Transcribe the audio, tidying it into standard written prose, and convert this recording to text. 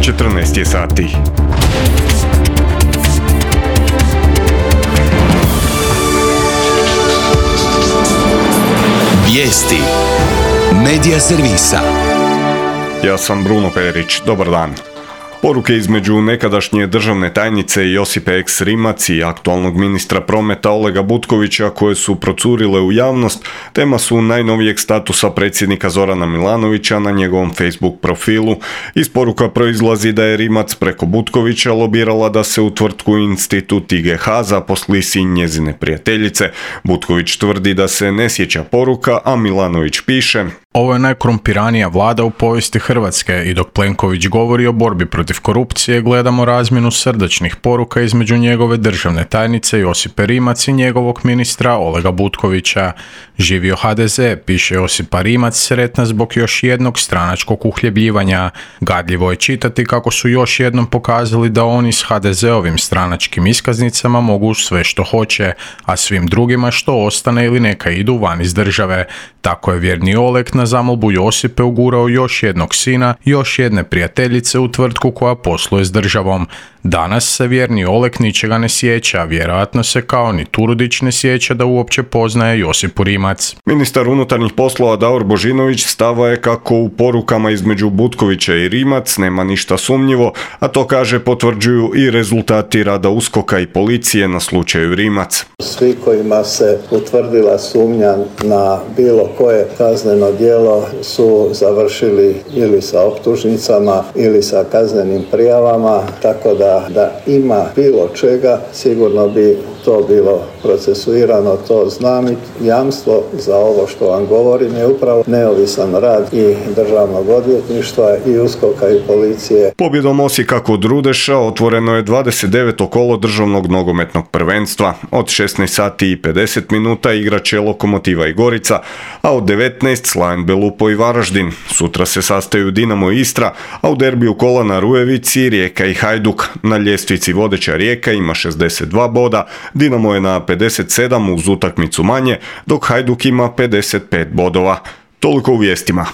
14 je sati. Vijesti Medija servisa. Ja sam Bruno Perić, dobar dan. Poruke između nekadašnje državne tajnice Josipe Eks Rimac i aktualnog ministra prometa Olega Butkovića koje su procurile u javnost, tema su najnovijeg statusa predsjednika Zorana Milanovića na njegovom Facebook profilu. Iz poruka proizlazi da je Rimac preko Butkovića lobirala da se u tvrtku Institut IGH zaposli sin njezine prijateljice. Butković tvrdi da se ne sjeća poruka, a Milanović piše: Ovo je najkorumpiranija vlada u povijesti Hrvatske i dok Plenković govori o borbi protiv korupcije, gledamo razmjenu srdačnih poruka između njegove državne tajnice Josipe Rimac i njegovog ministra Olega Butkovića. Živio HDZ, piše Josipa Rimac, sretna zbog još jednog stranačkog uhljebljivanja. Gadljivo je čitati kako su još jednom pokazali da oni s HDZ-ovim stranačkim iskaznicama mogu sve što hoće, a svim drugima što ostane ili neka idu van iz države. Tako je vjerni Oleg na zamolbu Josipe ugurao još jednog sina, još jedne prijateljice u tvrtku koja posluje s državom. Danas se vjerni Oleg ničega ne sjeća, vjerojatno se kao ni Turudić ne sjeća da uopće poznaje Josipu Rimac. Ministar unutarnjih poslova Davor Božinović stava je kako u porukama između Butkovića i Rimac nema ništa sumnjivo, a to kaže potvrđuju i rezultati rada USKOK-a i policije na slučaju Rimac. Svi kojima se utvrdila sumnja na bilo koje kazneno djelo su završili ili sa optužnicama ili sa kaznenim prijavama, tako da ima bilo čega, sigurno bi to bilo procesuirano, to znam i jamstvo za ovo što vam govorim je upravo neovisan rad i državnog odvjetništva i USKOK-a i policije. Pobjedom Osijeka kod Rudeša otvoreno je 29. kolo državnog nogometnog prvenstva. Od 16 sati i 50 minuta igrat će Lokomotiva i Gorica, a od 19 Slaven Belupo i Varaždin. Sutra se sastaju Dinamo i Istra, a u derbiju kola na Rujevici Rijeka i Hajduk. Na ljestvici vodeća Rijeka ima 62 boda, Dinamo je na 57 uz utakmicu manje, dok Hajduk ima 55 bodova. Toliko u vijestima.